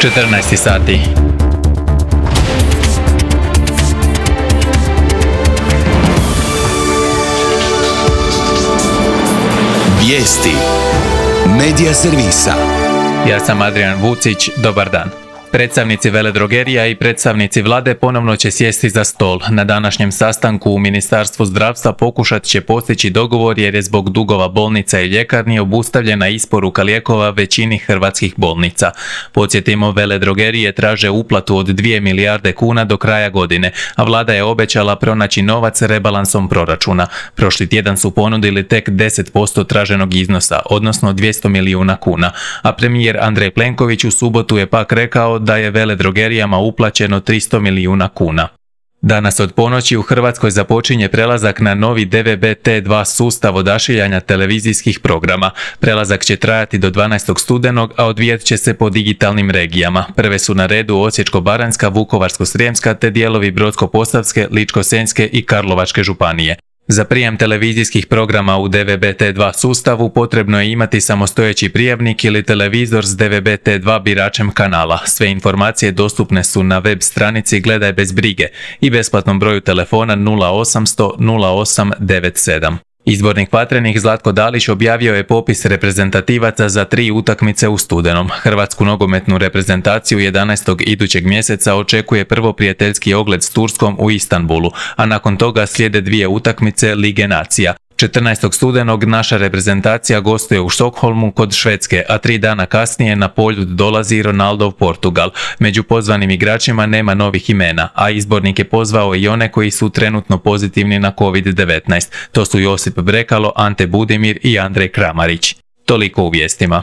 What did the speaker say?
14 sati. Vijesti Medija servisa. Ja sam Adrian Vucić, dobar dan. Predstavnici veledrogerija i predstavnici vlade ponovno će sjesti za stol. Na današnjem sastanku u Ministarstvu zdravstva pokušat će postići dogovor jer je zbog dugova bolnica i ljekarni obustavljena isporuka lijekova većini hrvatskih bolnica. Podsjetimo, veledrogerije traže uplatu od 2 milijarde kuna do kraja godine, a vlada je obećala pronaći novac rebalansom proračuna. Prošli tjedan su ponudili tek 10% traženog iznosa, odnosno 200 milijuna kuna, a premijer Andrej Plenković u subotu je pak rekao da je veledrogerijama uplaćeno 300 milijuna kuna. Danas od ponoći u Hrvatskoj započinje prelazak na novi DVB-T2 sustav odašiljanja televizijskih programa. Prelazak će trajati do 12. studenog, a odvijat će se po digitalnim regijama. Prve su na redu Osječko-baranjska, Vukovarsko-srijemska te dijelovi Brodsko-posavske, Ličko-senjske i Karlovačke županije. Za prijem televizijskih programa u DVB-T2 sustavu potrebno je imati samostojeći prijavnik ili televizor s DVB-T2 biračem kanala. Sve informacije dostupne su na web stranici Gledaj bez brige i besplatnom broju telefona 0800 0897. Izbornik Vatrenih Zlatko Dalić objavio je popis reprezentativaca za 3 utakmice u studenom. Hrvatsku nogometnu reprezentaciju 11. idućeg mjeseca očekuje prvo prijateljski ogled s Turskom u Istanbulu, a nakon toga slijede 2 utakmice Lige nacija. 14. studenog naša reprezentacija gostuje u Štokholmu kod Švedske, a 3 dana kasnije na Poljud dolazi Ronaldov Portugal. Među pozvanim igračima nema novih imena, a izbornik je pozvao i one koji su trenutno pozitivni na COVID-19. To su Josip Brekalo, Ante Budimir i Andrej Kramarić. Toliko u vijestima.